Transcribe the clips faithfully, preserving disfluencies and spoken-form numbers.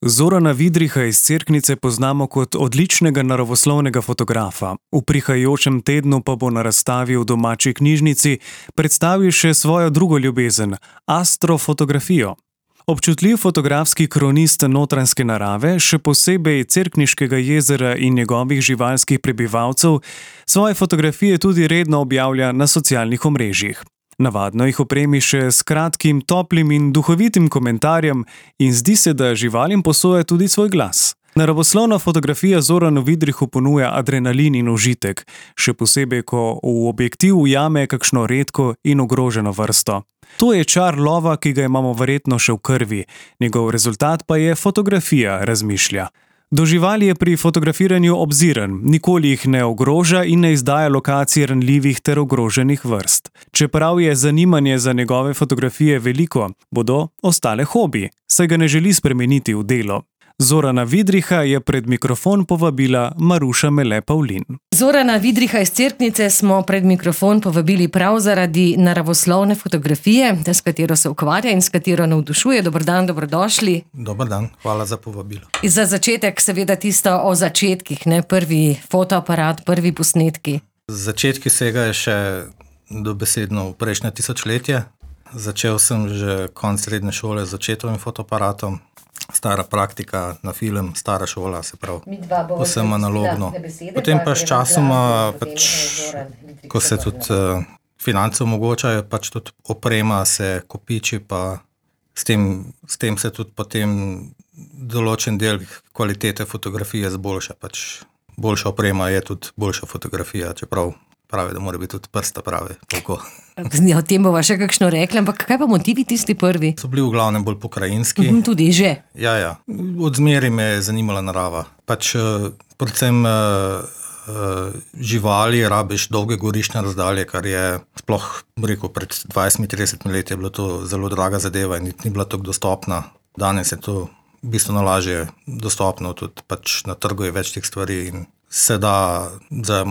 Zorana Vidriha iz Cerknice poznamo kot odličnega naravoslovnega fotografa. V prihajajočem tednu pa bo na razstavi v domači knjižnici predstavil še svojo drugo ljubezen – astrofotografijo. Občutljiv fotografski kronist notranjske narave, še posebej Cerkniškega jezera in njegovih živalskih prebivalcev, svoje fotografije tudi redno objavlja na socialnih omrežjih. Navadno jih opremi še s kratkim, toplim in duhovitim komentarjem in zdi se, da živalim posoja tudi svoj glas. Naravoslovna fotografija Zoranu Vidrihu ponuja adrenalin in užitek, še posebej, ko v objektiv ujame kakšno redko in ogroženo vrsto. To je čar lova, ki ga imamo verjetno še v krvi, njegov rezultat pa je fotografija, razmišlja. Do živali je pri fotografiranju obziren, nikoli jih ne ogroža in ne izdaja lokacij ranljivih ter ogroženih vrst. Čeprav je zanimanje za njegove fotografije veliko, bodo ostale hobi, saj ga ne želi spremeniti v delo. Zorana Vidriha je pred mikrofon povabila Maruša Mele Pavlin. Zorana Vidriha iz Cerknice smo pred mikrofon povabili prav zaradi naravoslovne fotografije, s katero se ukvarja in s katero navdušuje. Dober dan, dobrodošli. Dober dan, hvala za povabilo. Za začetek seveda tisto o začetkih, ne? Prvi fotoaparat, prvi posnetki. Začetki segajo še dobesedno v prejšnje tisočletje. Začel sem že konec srednje šole z očetovim fotoaparatom. Stara praktika na film, stara šola, se pravi, vsem analogno. Potem pa s časoma, pač, ko se tudi uh, finance omogočajo, pač tudi oprema se kopiči, pa s tem, s tem se tudi potem določen del kvalitete fotografije zboljša. Pač boljša oprema je tudi boljša fotografija, čeprav pravi, da mora biti tudi prsta pravi. O tem bova še kakšno rekla, ampak kaj pa motivi tisti prvi? So bili v glavnem bolj pokrajinski. Mhm, tudi že. Ja, ja. Od zmeri me je zanimala narava. Pač predvsem živali rabiš dolge gorišne razdalje, kar je sploh, rekel, pred dvajset trideset let je bilo to zelo draga zadeva in ni bila tako dostopna. Danes je to bistveno lažje dostopno, tudi pač na trgu je več teh stvari in se da za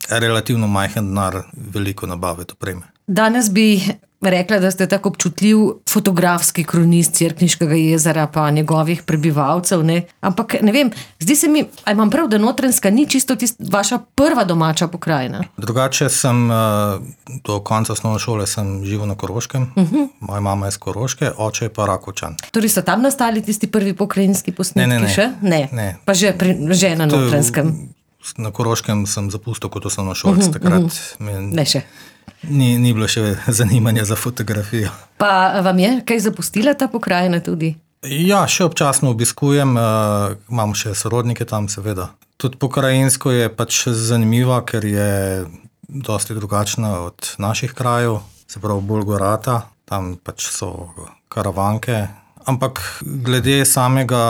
relativno majhen denar veliko nabaviti opreme. Danes bi rekla, da ste tako občutljiv fotografski kronist Cerkniškega jezera pa njegovih prebivalcev, ne? Ampak ne vem, zdi se mi, a imam prav, da Notranjska ni čisto tist, vaša prva domača pokrajina? Drugače sem, do konca osnovne šole sem živel na Koroškem, uh-huh. Moja mama je z Koroške, oče je pa Rakovčan. Torej so tam nastali tisti prvi pokrajinski posnetki ne, ne, ne. še? Ne. Ne. Pa že, pri, že na Notranjskem? Na Koroškem sem zapustil kot osnovno šolc, uh-huh, takrat uh-huh. Me, ne še. Ni, ni bilo še zanimanja za fotografijo. Pa vam je kaj zapustila ta pokrajina tudi? Ja, še občasno obiskujem, uh, imam še sorodnike tam seveda. Tudi pokrajinsko je pač zanimiva, ker je dosti drugačna od naših krajev, se pravi bolj gorata, tam pač so karavanke. Ampak glede samega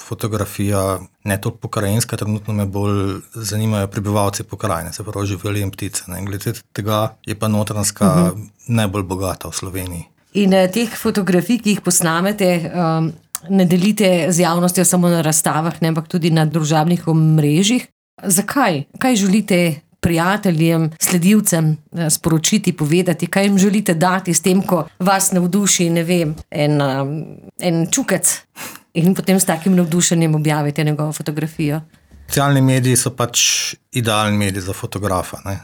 fotografija, ne toliko pokrajinska, trenutno me bolj zanimajo prebivalci pokrajine, se pravi živali in ptice. Ne? Glede tega je pa Notranjska uh-huh. najbolj bogata v Sloveniji. In eh, teh fotografij, ki jih posnamete, um, ne delite z javnostjo samo na razstavah, ne, ampak tudi na družabnih omrežjih. Zakaj? Kaj želite prijateljem, sledilcem sporočiti, povedati, kaj jim želite dati s tem, ko vas navduši, ne vem, en, en čukec in potem s takim navdušenjem objavite njegovo fotografijo? Socialni mediji so pač idealni mediji za fotografa. Ne?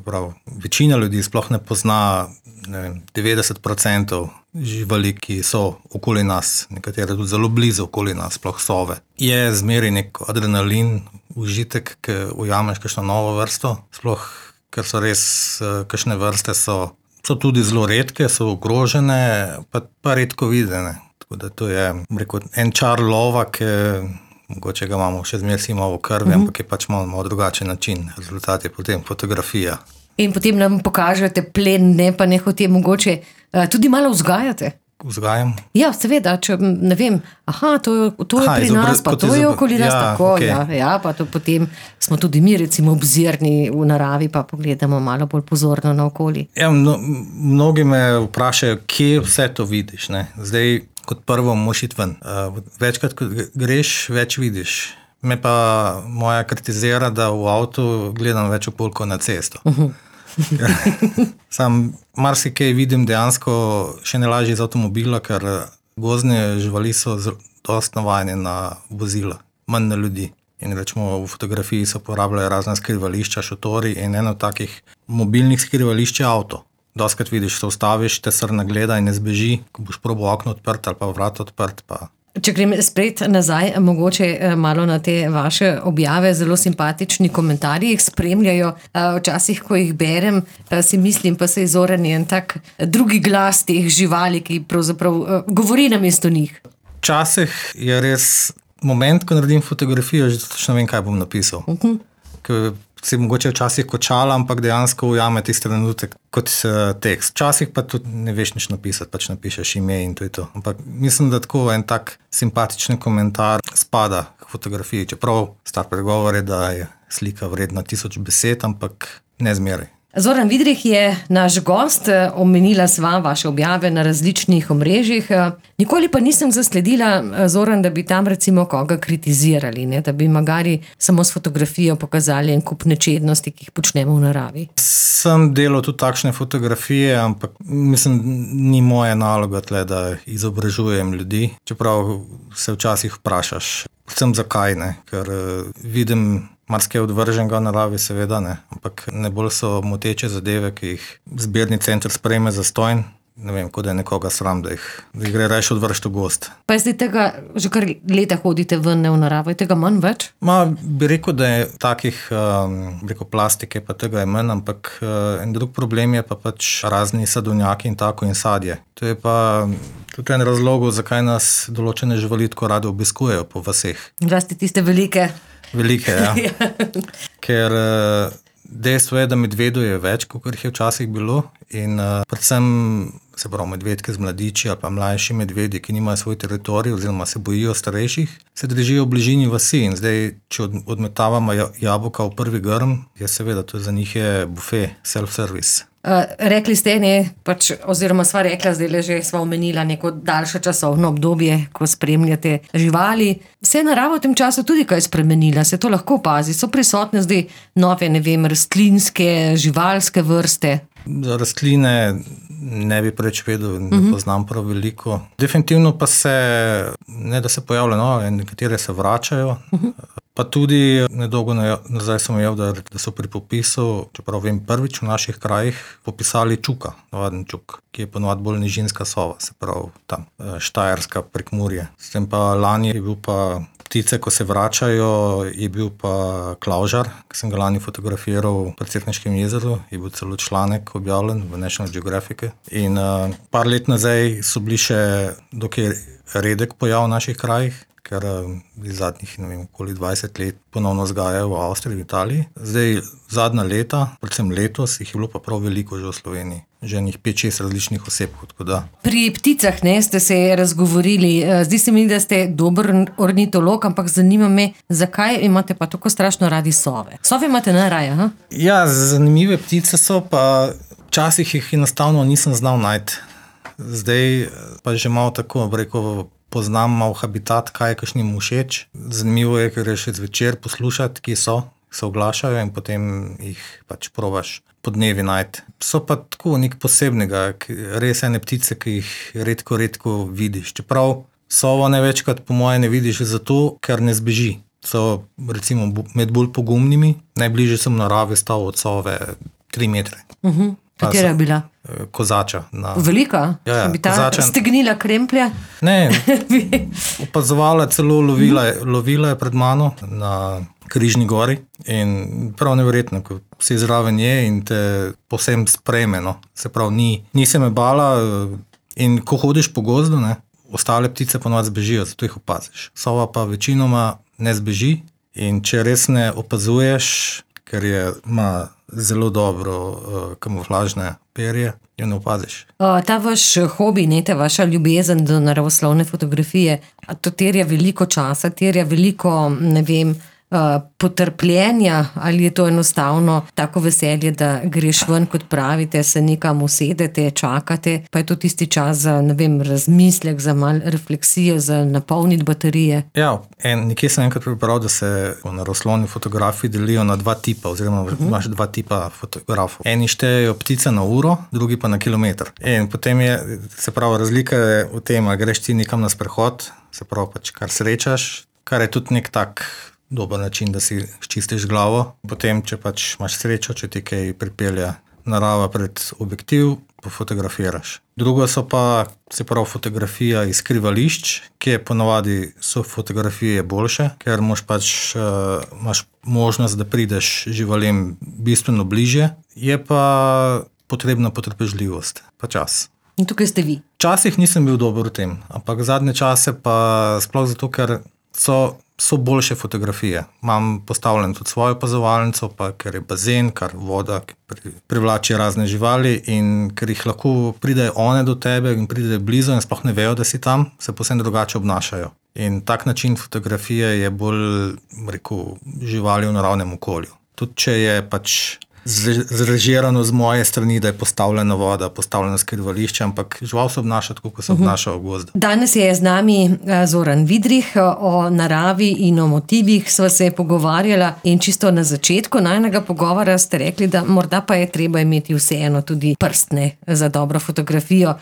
Prav, večina ljudi sploh ne pozna ne vem, devetdeset procentov živali, ki so okoli nas, nekatere tudi zelo blizu okoli nas, sploh sove. Je zmeri nek adrenalin, užitek, ki ujameš kakšno novo vrsto, sploh, ker so res, kakšne vrste so, so tudi zelo redke, so ogrožene, pa, pa redko videne. Tako da to je, rekel, en čar lova, ki mogoče ga imamo še zmeraj si malo v krvi, mm-hmm. ampak je pač malo, malo drugačen način. Rezultat je potem fotografija. In potem nam pokažete plen, ne pa nehote mogoče tudi malo vzgajate. Vzgajam? Ja, seveda, če ne vem, aha, to, to je aha, pri nas, pa to je okoli nas, ja, tako, okay. ja, ja, pa to potem smo tudi mi recimo obzirni v naravi, pa pogledamo malo bolj pozorno na okolje. Ja, mno, mnogi me vprašajo, kje vse to vidiš, ne? Zdaj, kot prvo moraš iti ven. Uh, večkrat, ko greš, več vidiš. Me pa moja kritizira, da v avtu gledam več okolko na cesto. Uh-huh. Sam marsikaj vidim dejansko še ne lažje iz avtomobila, ker gozdne živali so dosti navajeni na vozila, manj na ljudi. In rečemo, v fotografiji se uporabljajo razne skrivališča, šotori in eno takih mobilnih skrivališč je avto. Doskrat vidiš, se ustaviš, te srna gleda in ne zbeži, ko boš probal okno odprt ali pa vrat odprt. Pa. Če grem spet nazaj, mogoče malo na te vaše objave, zelo simpatični komentarji jih spremljajo. Včasih, ko jih berem, si mislim, pa se izoreni en tak drugi glas teh živali, ki pravzaprav govori namesto njih. Včasih je res moment, ko naredim fotografijo, že točno vem, kaj bom napisal. Uh-huh. Ker si mogoče včasih kočala, ampak dejansko ujame tisti trenutek kot tekst. Včasih pa tudi ne veš nič napisati, pač napišeš ime in to je to. Ampak mislim, da tako en tak simpatičen komentar spada k fotografiji. Čeprav star pregovor je, da je slika vredna tisoč besed, ampak ne zmeraj. Zoran Vidrih je naš gost, omenila sva vaše objave na različnih omrežjih. Nikoli pa nisem zasledila, Zoran, da bi tam recimo koga kritizirali, ne? Da bi magari samo s fotografijo pokazali en kup nečednosti, ki jih počnemo v naravi. Sem delal tudi takšne fotografije, ampak mislim, ni moja naloga tle, da izobražujem ljudi. Čeprav se včasih vprašaš, predvsem zakaj, ne? Ker vidim marsikaj odvrženega v naravi, seveda ne, ampak ne bolj so moteče zadeve, ki jih zbirni center sprejme zastonj. Ne vem, kot da je nekoga sram, da jih, da jih gre rajši odvršti v gost. Pa je zdaj tega, že kar leta hodite ven v naravo, je tega manj več? Ma, bi rekel, da je takih, um, bi rekel, plastike, pa tega je manj, ampak uh, en drug problem je pa pač razni sadovnjaki in tako in sadje. To je pa tudi en razlog, zakaj nas določene živali tako rade obiskujejo po vaseh. Zlasti tiste velike. Velike, ja. Ker uh, dejstvo je, da medvedov je več, kot jih je včasih bilo in uh, predvsem se pravi medvedke z mladiči ali pa mlajši medvedi, ki nimajo svoj teritorij oziroma se bojijo starejših, se držijo v bližini vasi in zdaj, če od, odmetavamo jabolka v prvi grm, je seveda, to za njih je buffet, self-service. Uh, rekli ste, ne, pač, oziroma sva rekla, zdaj že sva omenila neko daljše časovno obdobje, ko spremljate živali. Se je narava v tem času tudi kaj spremenila, se to lahko opazi? So prisotne zdaj nove, ne vem, rastlinske, živalske vrste? Za rastline ne bi preč vedel, ne uh-huh. poznam prav veliko. Definitivno pa se, ne da se pojavljajo nove, nekatere se vračajo. Uh-huh. Pa tudi nedolgo nazaj sem imel, da, da so pri popisu, čeprav vem prvič v naših krajih, popisali čuka, navaden čuk, ki je ponovadi bolj nižinska sova, se pravi tam, Štajerska, Prekmurje. S tem pa lani je bil pa ptice, ko se vračajo, je bil pa klavžar, ki sem ga lani fotografiral v Cerkniškem jezeru, je bil celo članek objavljen v National Geographic. In uh, par let nazaj so bili še dokaj redek pojav v naših krajih, ker iz zadnjih, ne vem, okoli dvajset let ponovno vzgajajo v Avstriji, v Italiji. Zdaj, zadnja leta, predvsem letos, jih je bilo pa prav veliko že v Sloveniji. Že njih pet šest različnih oseb, tako da. Pri pticah, ne, ste se razgovorili. Zdi se mi, da ste dober ornitolog, ampak zanima me, zakaj imate pa tako strašno radi sove? Sove imate najraje, ha? Ja, zanimive ptice so, pa včasih jih enostavno nisem znal najti. Zdaj pa že malo tako, rekel, poznam malo habitat, kaj je kakšnim všeč. Zanimivo je, ker je še zvečer poslušati, ki so, se oglašajo in potem jih pač probaš po dnevi najti. So pa tako nek posebnega, res ene ptice, ki jih redko, redko vidiš. Čeprav sovo največkrat po moje ne vidiš zato, ker ne zbeži. So recimo med bolj pogumnimi, najbližje sem v naravi stal od sove tri metre. Uh-huh. Katera je bila? Kozača. Na... Velika? Ja, ja, bi ta kozača... stegnila kremplje? Ne, opazovala, celo lovila, lovila je pred mano na Križni gori in prav neverjetno, ko si zraven je in te povsem sprejme, no. Se pravi, ni, ni se me bala in ko hodiš po gozdu, ne, ostale ptice ponovadi zbežijo, zato jih opaziš. Sova pa večinoma ne zbeži in če res ne opazuješ, ker je, ima zelo dobro uh, kamuflažne perje, jo ne opaziš. O, ta vaš hobi, ne, ta vaša ljubezen do naravoslovne fotografije, to terja veliko časa, terja veliko, ne vem, uh, potrpljenja, ali je to enostavno tako veselje, da greš ven, kot pravite, se nekam usedete, čakate, pa je to tisti čas za, ne vem, razmislek, za malo refleksijo, za napolniti baterije? Ja, en, nekje sem enkrat prebral, da se naravoslovni fotografi delijo na dva tipa, oziroma uh -huh. imaš dva tipa fotografov. Eni štejejo ptice na uro, drugi pa na kilometr. In potem je, se pravi, razlika je v tem, ali greš ti nekam na sprehod, se pravi, pač kar srečaš, kar je tudi nek tak dober način, da si čistiš glavo. Potem, če pač imaš srečo, če ti kaj pripelje narava pred objektiv, pa fotografiraš. Drugo so pa, se pravi, fotografija iz skrivališč, ki je ponavadi so fotografije boljše, ker moš pač, uh, imaš možnost, da prideš živalim bistveno bliže, je pa potrebna potrpežljivost, pa čas. In tukaj ste vi. Včasih nisem bil dober v tem, ampak zadnje čase pa sploh zato, ker so, so boljše fotografije. Imam postavljen tudi svojo opazovalnico, pa ker je bazen, kar voda pri, privlači razne živali in ker jih lahko pridejo one do tebe in pridejo blizu in sploh ne vejo, da si tam, se posebno drugače obnašajo. In tak način fotografije je bolj, rekel, živali v naravnem okolju. Tudi če je pač zrežirano z moje strani, da je postavljena voda, postavljeno skrivališče, ampak žival se obnaša tako, kot se obnaša v gozdu. Danes je z nami Zoran Vidrih, o naravi in o motivih sva se pogovarjala in čisto na začetku najnega pogovora ste rekli, da morda pa je treba imeti vseeno tudi prstne za dobro fotografijo.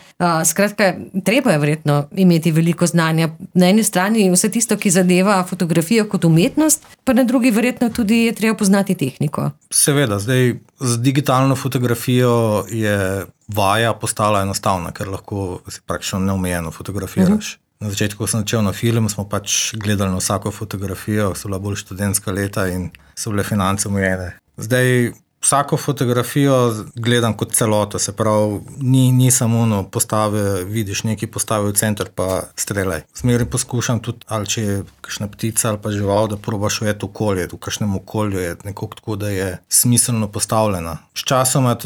Skratka, treba je verjetno imeti veliko znanja. Na eni strani vse tisto, ki zadeva fotografijo kot umetnost, pa na drugi verjetno tudi je treba poznati tehniko. Seveda, zdaj z digitalno fotografijo je vaja postala enostavna, ker lahko si praktično neomejeno fotografiraš. Uh-huh. Na začetku, ko sem začel na film, smo pač gledali na vsako fotografijo, so bila bolj študentska leta in so bile finance omejene. Zdaj vsako fotografijo gledam kot celoto, se pravi, ni, ni samo no, postave, vidiš neki postavi v center pa streljaj. Zmeraj poskušam tudi, ali če je kakšna ptica ali pa žival, da probaš ujeti okolje, v kakšnem okolju je nekako tako, da je smiselno postavljena. Sčasoma,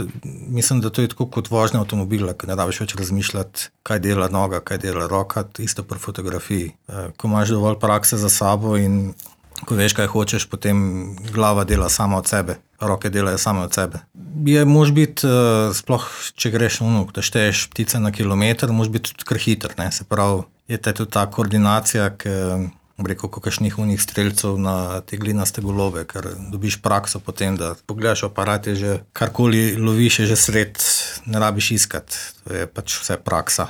mislim, da to je tako kot vožnja avtomobila, ker ne rabiš več razmišljati, kaj dela noga, kaj dela roka, isto pri fotografiji. Ko imaš dovolj prakse za sabo in ko veš, kaj hočeš, potem glava dela sama od sebe, roke delajo same od sebe. Je, mož biti, sploh, če greš ono, da šteješ ptice na kilometr, mož biti tudi kar hiter, ne, se pravi, je te tudi ta koordinacija, ki, rekel, kakšnih unih streljcev na te glinaste golobe, ker dobiš prakso potem, da pogledaš aparat, je že karkoli loviš, je že sred, ne rabiš iskati, to je pač vse praksa.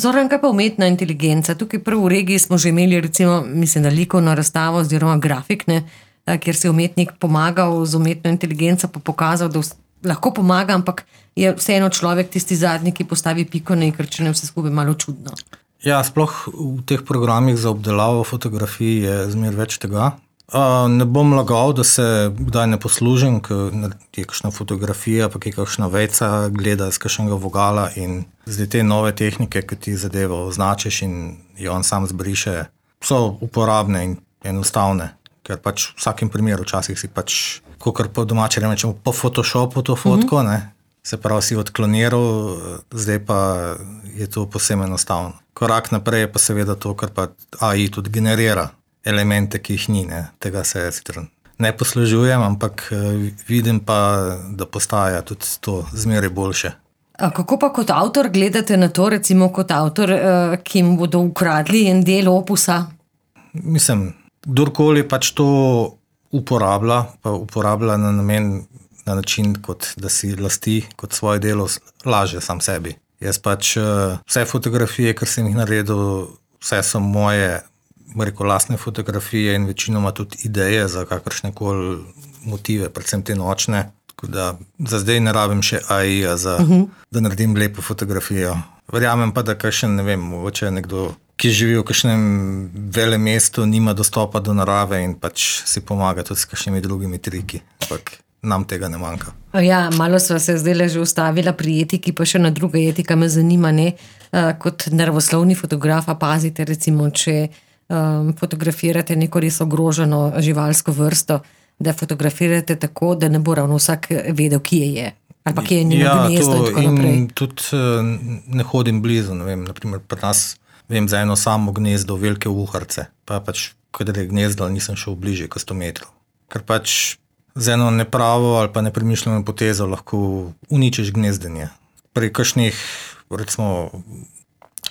Zoran, kaj pa umetna inteligenca? Tukaj prv v regiji smo že imeli recimo, mislim, da likovno razstavo oziroma grafik, ne, kjer se je umetnik pomagal z umetno inteligenco, pa pokazal, da lahko pomaga, ampak je vseeno človek tisti zadnji, ki postavi piko na i, ker če ne vse skupaj malo čudno. Ja, sploh v teh programih za obdelavo fotografij je zmer več tega. Uh, ne bom lagal, da se kdaj ne poslužim, ker je kakšna fotografija, pa je kakšna vejca, gleda z kakšnega vogala in zdaj te nove tehnike, ki ti zadevo označiš in jo on sam zbriše, so uporabne in enostavne, ker pač v vsakem primeru včasih si pač, kakor po domače rečemo, po Photoshopu to fotko, mm-hmm. ne, se pravi si odkloniral, zdaj pa je to posebno enostavno. Korak naprej je pa seveda to, kar pa A I tudi generira elemente, ki jih ni, ne. Tega se ne poslužujem, ampak vidim pa, da postaja tudi to zmeraj boljše. A kako pa kot avtor gledate na to, recimo kot avtor, ki mu bodo ukradli en del opusa? Mislim, kdorkoli pač to uporablja, pa uporablja na namen, na način, kot da si lasti kot svoje delo, laže sam sebi. Jaz pač vse fotografije, kar sem jih naredil, vse so moje rekel, lastne fotografije in večinoma tudi ideje za kakršnekoli motive, predvsem te nočne. Tako da za zdaj ne rabim še A I-ja, za, uh-huh. da naredim lepo fotografijo. Verjamem pa, da kakšen, ne vem, mogoče nekdo, ki živi v kakšnem velem mestu, nima dostopa do narave in pač si pomaga tudi s kakšnimi drugimi triki. Ampak nam tega ne manjka. Ja, malo sva se zdaj že ustavila pri etiki, pa še na druga etika me zanima, ne, kot naravoslovni fotograf, pazite recimo, če um, fotografirate neko res ogroženo živalsko vrsto, da fotografirate tako, da ne bo ravno vsak vedel, kje je. Ali pa kje je njeno ja, gnezdo in tako naprej. In tudi ne hodim blizu, ne vem, naprimer pri nas vem za eno samo gnezdo velike uharce. Pa pač kadar je gnezdo, nisem šel bližje kot sto metrov. Ker pač z eno nepravo ali pa nepremišljeno potezo lahko uničiš gnezdenje. Pri kakšnih, recimo,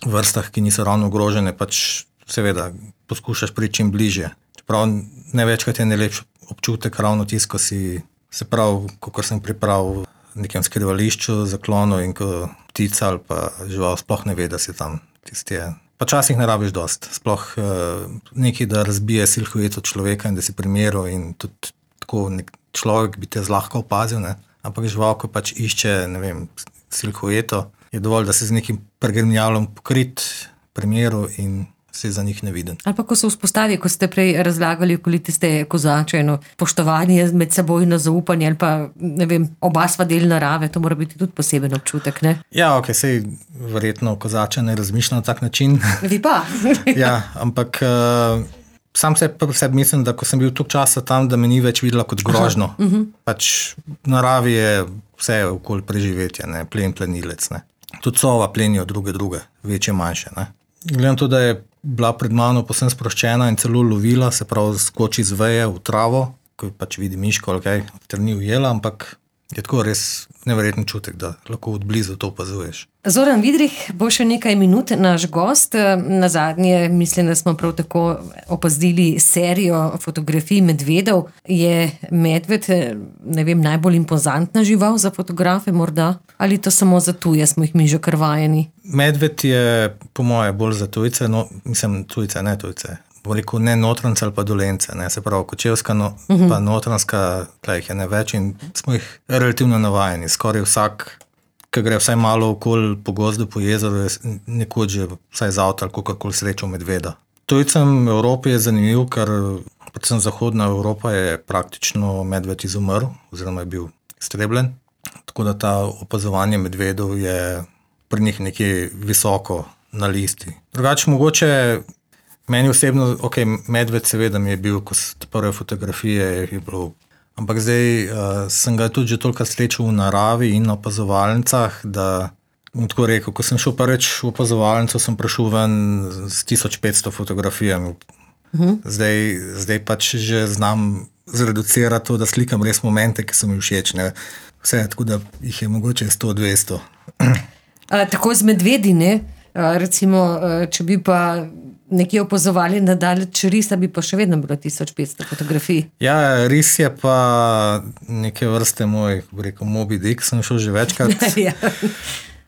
vrstah, ki niso ravno ogrožene, pač seveda poskušaš priti čim bližje. Čeprav največkrat je najlepši občutek ravno tisto, ko si se prav, kakor sem pripravil v nekem skrivališču, zaklonu in ko ptica ali pa žival sploh ne ve, da si tam. Tisti je. Pa časih ne rabiš dost. Sploh uh, nekaj, da razbije silhueto človeka in da si primeril in tudi tako nek človek bi te zlahka opazil, ne? Ampak žival, ko pač išče, ne vem, silhueto, je dovolj, da se z nekim pregrmljalom pokrit primeru in si za njih neviden. Ali pa ko se vzpostavi, ko ste prej razlagali okoli tiste kozače, no, poštovanje med seboj na zaupanje ali pa, ne vem, oba sva del narave, to mora biti tudi poseben občutek, ne? Ja, ok, sej verjetno kozače ne razmišlja na tak način. Vi pa? Ja, ampak uh, sam se pri sebi mislim, da ko sem bil toliko časa tam, da me ni več videla kot grožno. Uh-huh. Pač v naravi je vse okoli preživetje, ne, plen, plenilec, ne. Tudi sova plenijo druge, druge, večje, manjše, ne. Gledam to, da je bila pred mano posem sproščena in celo lovila, se pravi skoči z veje v travo, ko pač vidi miško ali kaj, ter ni ujela, ampak je tako res neverjeten čutek, da lahko od blizu to opazuješ. Zoran Vidrih bo še nekaj minut naš gost. Na zadnje, mislim, da smo prav tako opazili serijo fotografij medvedov. Je medved, ne vem, najbolj impozantna žival za fotografe morda? Ali to samo za tuje, smo jih mi že krvajeni? Medved je po moje bolj za tujce, no, mislim tujce, ne tujce. Veliko ne notranjce ali pa dolence, ne, se pravi kočevska, no, uh-huh. pa notranjska, tle jih je ne več in smo jih relativno navajeni. Skoraj vsak, ki gre vsaj malo okoli po gozdu, po jezeru, je nekoč že vsaj z avta ali kakorkoli srečal medveda. Tujcem v Evropi je zanimiv, ker predvsem zahodna Evropa je praktično medved izumrl, oziroma je bil iztrebljen, tako da ta opazovanje medvedov je pri njih nekje visoko na listi. Drugače mogoče meni osebno, ok, medved seveda mi je bil, ko so prve fotografije, je bilo, ampak zdaj uh, sem ga tudi že toliko srečal v naravi in na opazovalnicah, da bom tako rekel, ko sem šel prvič v opazovalnico, sem prišel ven s tisoč petsto fotografijami. Uh-huh. Zdaj, zdaj pač že znam zreducirati to, da slikam res momente, ki so mi všeč, ne. Vse, tako da jih je mogoče sto dvesto. A, tako z medvedi, ne? A, recimo, če bi pa nekje opazovali nadalječ risa, bi pa še vedno bilo tisoč petsto fotografij. Ja, ris je pa neke vrste moj, rekel, Moby Dick, sem šel že večkrat. Ja.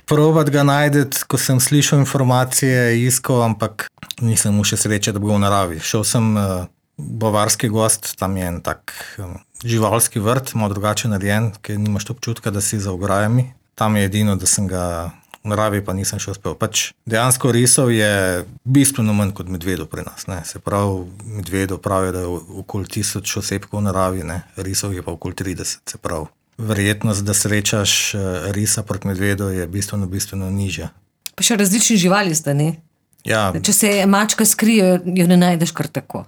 Probat ga najdeti, ko sem slišal informacije, iskal, ampak nisem mu še sreče, da bi ga v naravi. Šel sem uh, bavarski gost, tam je en tak um, živalski vrt, malo drugače narejen, ker nimaš občutka, da si za ograjami. Tam je edino, da sem ga v naravi pa nisem še uspel. Pač dejansko risov je bistveno manj kot medvedov pri nas, ne. Se pravi, medvedov pravijo, da je okoli tisoč osebkov v naravi, ne. Risov je pa okoli trideset, se pravi. Verjetnost, da srečaš risa proti medvedu je bistveno, bistveno nižja. Pa še različni živali sta, ne? Ja. Če se mačka skrije, jo ne najdeš kar tako.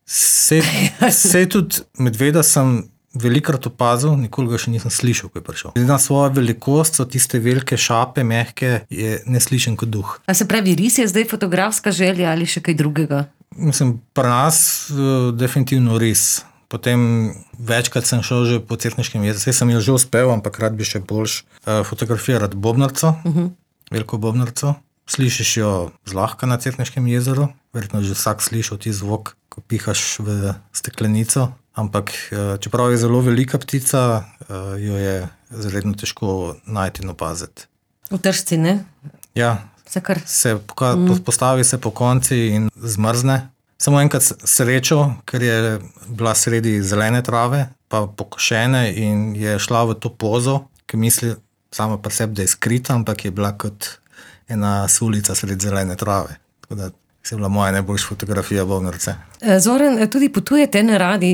Se, se tudi medveda sem velikrat opazil, nikoli ga še nisem slišal, ko je prišel. Na svojo velikost so tiste velike šape, mehke, je neslišen kot duh. A se pravi, ris je zdaj fotografska želja ali še kaj drugega? Mislim, pri nas uh, definitivno ris. Potem večkrat sem šel že po Cerkniškem jezeru, saj sem jo že uspel, ampak rad bi še boljš uh, fotografirati bobnarco, uh-huh. veliko bobnarco. Slišiš jo zlahka na Cerkniškem jezeru, verjetno že vsak slišal ti zvok, ko pihaš v steklenico. Ampak čeprav je zelo velika ptica, jo je zredno težko najti in opaziti. V tržci, ne? Ja, se, kar... se poka- mm. postavi se po konci in zmrzne. Samo enkrat srečo, ker je bila sredi zelene trave, pa pokošene in je šla v to pozo, ki misli sama pri sebi, da je skrita, ampak je bila kot ena sulica sredi zelene trave. Tako da se je bila moja najboljša fotografija bobnarce. Zoran, tudi potujete na radi,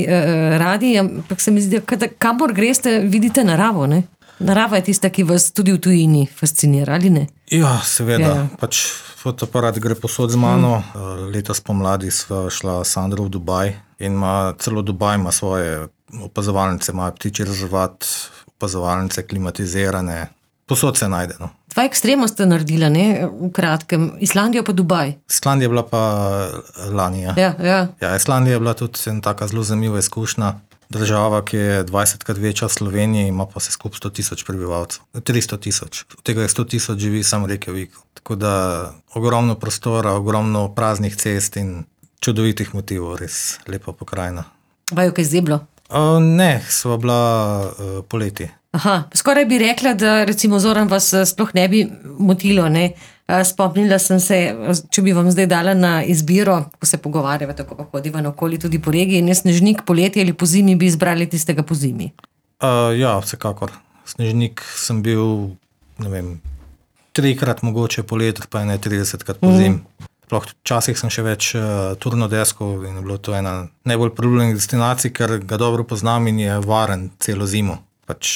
radi, ampak se mi zdi, da kamor greste, vidite naravo, ne? Narava je tista, ki vas tudi v tujini fascinira, ali ne? Ja, seveda. Ja. Pač fotoaparat gre posod z mano. Mm. Letos pomladi sva šla s Sandro v Dubaj in ima, celo Dubaj ima svoje opazovalnice, ima ptičji rezervat, opazovalnice klimatizirane. Posod se najde. No. Dva ekstrema ste naredila, ne, v kratkem. Islandija pa Dubaj. Islandija je bila pa lani. Ja. Ja, ja. Ja, Islandija je bila tudi ena taka zelo zanimiva izkušnja. Država, ki je dvajsetkrat večja od Slovenije, ima pa se skupaj sto tisoč prebivalcev. tristo tisoč. Od tega je sto tisoč živi samo v Reykjaviku. Tako da ogromno prostora, ogromno praznih cest in čudovitih motivov, res lepa pokrajina. Vaju kaj zeblo? Uh, ne, sva bila uh, poleti. Aha, skoraj bi rekla, da recimo Zoran vas sploh ne bi motilo, ne. Spomnila sem se, če bi vam zdaj dala na izbiro, ko se pogovarjava, tako pa hodiva naokoli tudi po regiji, ne Snežnik poleti ali po zimi, bi izbrali tistega po zimi. Uh, ja, vsekakor. Snežnik sem bil, ne vem, trikrat mogoče poleti, pa ne tridesetkrat po zimi. Mm. Včasih sem še več uh, turno deskov in je bilo to ena najbolj priljubljenih destinacij, ker ga dobro poznam in je varen celo zimo. Pač...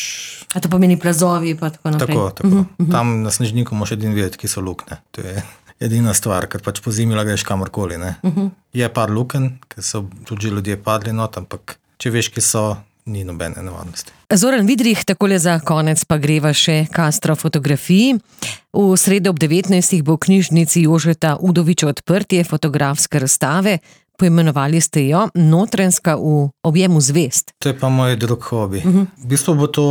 A to pomeni plazovi pa tako naprej? Tako, tako. Uh-huh, uh-huh. Tam na Snežniku moš edin videti, ki so lukne. To je edina stvar, ker pač po zimi greš kamorkoli. Ne? Uh-huh. Je par luken, ker so tudi ljudje padli not, ampak če veš, ki so, ni nobene nevarnosti. Zoran Vidrih, takole za konec pa greva še k astrofotografiji. V sredo ob devetnajstih bo v knjižnici Jožeta Udoviča odprtje fotografske razstave. Poimenovali ste jo Notranjska v objemu zvezd. To je pa moj drug hobi. Uh-huh. V bistvu bo to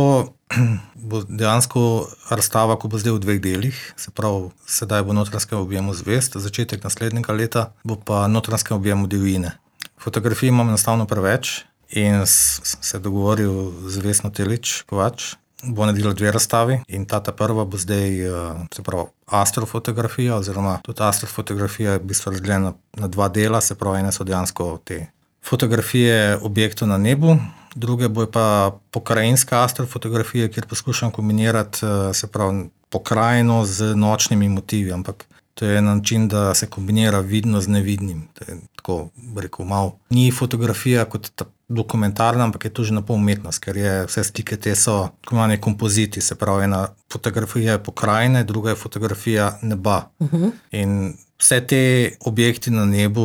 bo dejansko razstava, ko bo zdaj v dveh delih. Se pravi, sedaj bo Notranjska v objemu zvezd, začetek naslednjega leta bo pa Notranjska v objemu divjine. Fotografij imam enostavno preveč in se dogovoril z Vesno Telič Kovač. Bo naredila dve razstavi in ta ta prva bo zdaj, se pravi, astrofotografija, oziroma tudi astrofotografija je v bistvu razdeljena na dva dela, se pravi, ene so dejansko te fotografije objektov na nebu, druge bo pa pokrajinska astrofotografija, kjer poskušam kombinirati, se pravi, pokrajino z nočnimi motivi, ampak to je način, da se kombinira vidno z nevidnim. To je tako, rekel, malo. Ni fotografija kot ta dokumentarna, ampak je to že napol umetnost, ker je vse slike te so tako kompoziti, se pravi, ena fotografija je pokrajine, druga je fotografija neba. Uh-huh. In vse te objekti na nebu,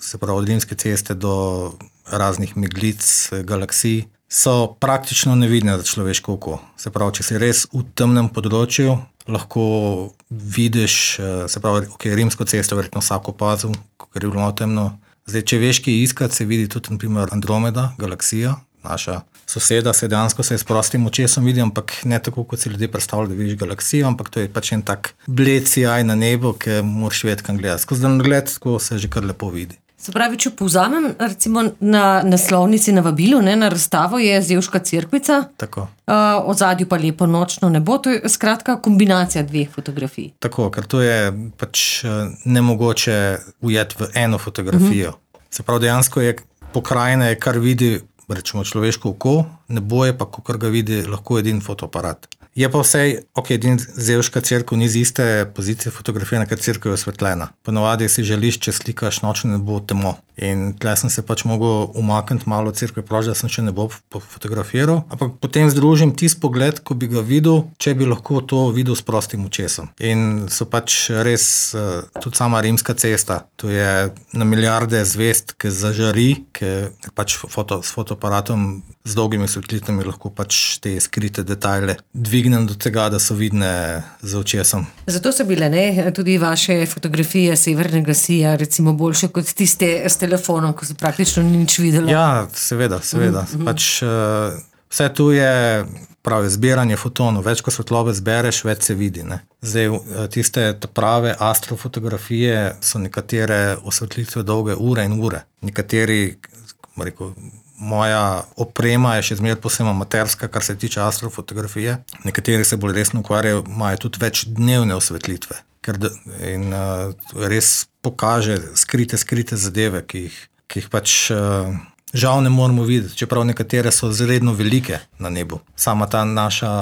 se pravi, od Rimske ceste do raznih meglic, galaksij, so praktično nevidne za človeško oko. Se pravi, če si res v temnem področju, lahko vidiš, se pravi, ok, Rimsko cesto verjetno vsak opazil, ker je bilo temno. Zdaj, če veš, ki iskati, se vidi tudi, na primer, Andromeda, galaksija, naša soseda, se dejansko se s prostim očesom vidi, ampak ne tako, kot si ljudje predstavljajo, da vidiš galaksijo, ampak to je pač en tak bled sijaj na nebu, ki moraš vedeti, kam gledati. Skozi dan gled, tako se že kar lepo vidi. Se pravi, če povzamem, recimo na naslovnici na vabilu, ne, na razstavo je Zevška cerkvica, tako. Uh, od zadju pa lepo nočno nebo, to je skratka kombinacija dveh fotografij. Tako, ker to je pač nemogoče ujeti v eno fotografijo. Uh-huh. Se pravi, dejansko je pokrajina, je kar vidi, rečemo, človeško oko, nebo je pa, kakor ga vidi, lahko edin fotoaparat. Je pa vsej, ok, edin Zevška cerkev ni z iste pozicije fotografije, na kar cerkev je osvetljena. Ponovadi si želiš, če slikaš nočno nebo, temo. In tle sem se pač mogel umakniti malo od cerkve, proč, da sem še nebo fotografiral, ampak potem združim tisti pogled, ko bi ga videl, če bi lahko to videl s prostim očesom. In so pač res, tudi sama Rimska cesta, to je na milijarde zvezd, ki zažari, ki pač foto, s fotoaparatom z dolgimi svetlitvami lahko pač te skrite detajle dvignem do tega, da so vidne z očesom. Zato so bile, ne, tudi vaše fotografije severnega sija, recimo boljše kot tiste s telefonom, ko se praktično ni nič videlo. Ja, seveda, seveda. Mm-hmm. Pač uh, vse tu je pravi zbiranje fotonov. Več ko svetlobe zbereš, več se vidi. Ne. Zdaj, tiste prave astrofotografije so nekatere osvetlitve dolge ure in ure. Nekateri, kako rekel, moja oprema je še zmeraj posebno amaterska, kar se tiče astrofotografije. Nekateri se bolj resno ukvarjajo, imajo tudi več dnevne osvetlitve. Ker in uh, res pokaže skrite, skrite zadeve, ki jih, ki jih pač uh, žal ne moramo videti, čeprav nekatere so zredno velike na nebu. Sama ta naša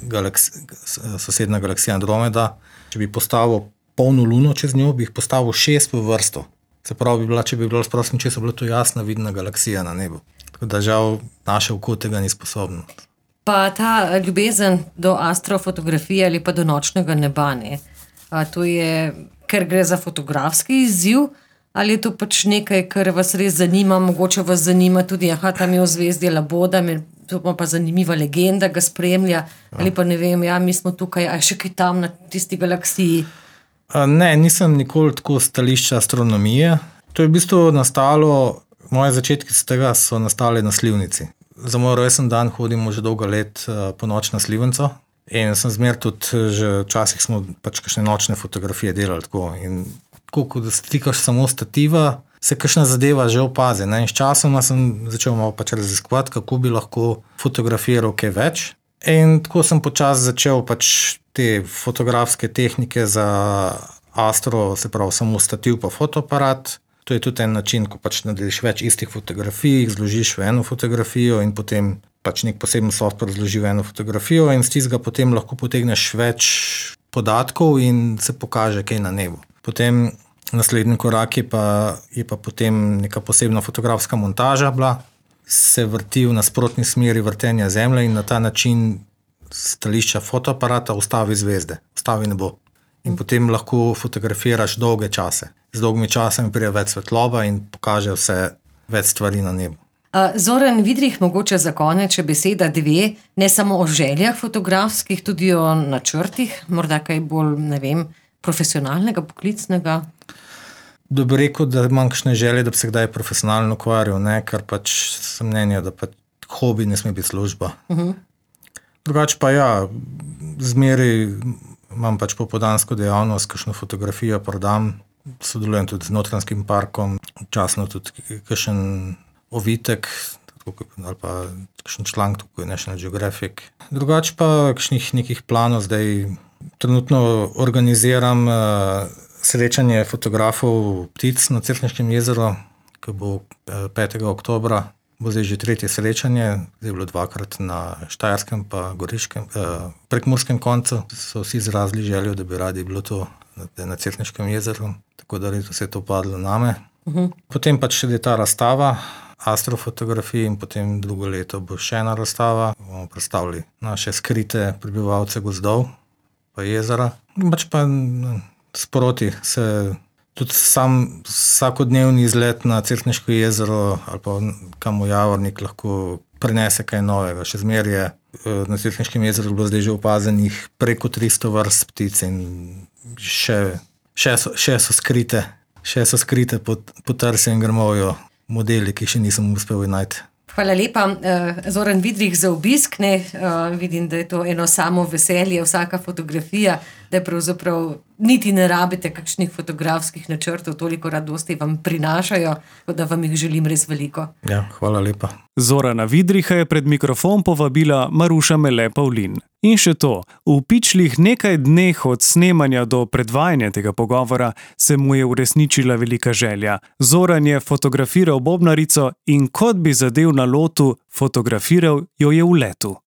galaksi, sosedna galaksija Andromeda, če bi postavil polno luno čez njo, bi jih postavil šest v vrsto. Se pravi, bi bila, če bi bilo s prostim česom, bila to jasna vidna galaksija na nebu. Tako da žal naše oko tega ni sposobno. Pa ta ljubezen do astrofotografije ali pa do nočnega neba, ne? A to je, ker gre za fotografski izziv, ali je to pač nekaj, kar vas res zanima, mogoče vas zanima tudi, aha, tam je v zvezdi Laboda, me to pa zanimiva legenda ga spremlja, ali pa ne vem, ja, mi smo tukaj, a še kaj tam na tisti galaksiji. Ne, nisem nikoli tako stališča astronomije. To je v bistvu nastalo, moje začetki z tega so nastale na slivnici. Za moj rojsten dan hodimo že dolgo let po noč na slivnico in sem zmer tudi, že včasih smo pač kakšne nočne fotografije delali tako. In tako, ko da stikaš samo stativa, se kakšna zadeva že opazi. Ne? In s časoma sem začel malo pač raziskovati, kako bi lahko fotografiral kaj več. In tako sem počasi začel pač te fotografske tehnike za astro, se pravi samo stativ pa fotoaparat. To je tudi en način, ko pač nadeliš več istih fotografij, jih zložiš v eno fotografijo in potem pač nek poseben software zloži v eno fotografijo in s tistega potem lahko potegneš več podatkov in se pokaže kaj na nebu. Potem naslednji korak je pa, je pa potem neka posebna fotografska montaža bila, se vrti v nasprotni smeri vrtenja Zemlje in na ta način stališča fotoaparata ustavi zvezde, ustavi nebo. In potem lahko fotografiraš dolge čase. Z dolgimi časami pride več svetloba in pokaže vse več stvari na nebu. Zoran Vidrih, mogoče za konec, če beseda dve, ne samo o željah fotografskih, tudi o načrtih, morda kaj bolj, ne vem, profesionalnega, poklicnega? Da bi rekel, da imam kakšne želje, da bi se kdaj profesionalno ukvarjal, ne, ker pač sem mnenja, da pač hobi ne sme biti služba. Uh-huh. Drugače pa ja, zmeri imam pač popoldansko dejavnost, kakšno fotografijo prodam, sodelujem tudi z Notranjskim parkom, včasno tudi kakšen ovitek, ali pa kakšen članek tukaj, National Geographic. Drugače pa kakšnih nekih planov, zdaj trenutno organiziram uh, srečanje fotografov ptic na Cerkniškem jezeru, ki bo petega oktobra, bo zdaj že tretje srečanje, zdaj je bilo dvakrat na Štajerskem pa Goriškem, eh, Prekmurskem koncu. So vsi izrazili željo, da bi radi bilo to na Cerkniškem jezeru, tako da letos se je to padlo name. Uh-huh. Potem pač še je ta razstava astrofotografij in potem drugo leto bo še ena razstava. Bomo predstavili naše skrite prebivalce gozdov pa jezera. Pač pa sproti se tudi sam vsakodnevni izlet na Cerkniško jezero ali pa kam v Javornik lahko prinese kaj novega. Še zmeraj je na Cerkniškem jezeru bilo zdaj že opazenih preko tristo vrst ptic in še, še, so, še so skrite, še so skrite pod, pod trsjem in grmovjo modeli, ki še nisem uspel najti. Hvala lepa, Zoran Vidrih, za obisk. Ne, vidim, da je to eno samo veselje, vsaka fotografija, da pravzaprav niti ne rabite kakšnih fotografskih načrtov, toliko radosti vam prinašajo, da vam jih želim res veliko. Ja, hvala lepa. Zorana Vidriha je pred mikrofon povabila Maruša Mele Pavlin. In še to, v pičlih nekaj dneh od snemanja do predvajanja tega pogovora se mu je uresničila velika želja. Zoran je fotografiral bobnarico in kot bi zadev na lotu, fotografiral jo je v letu.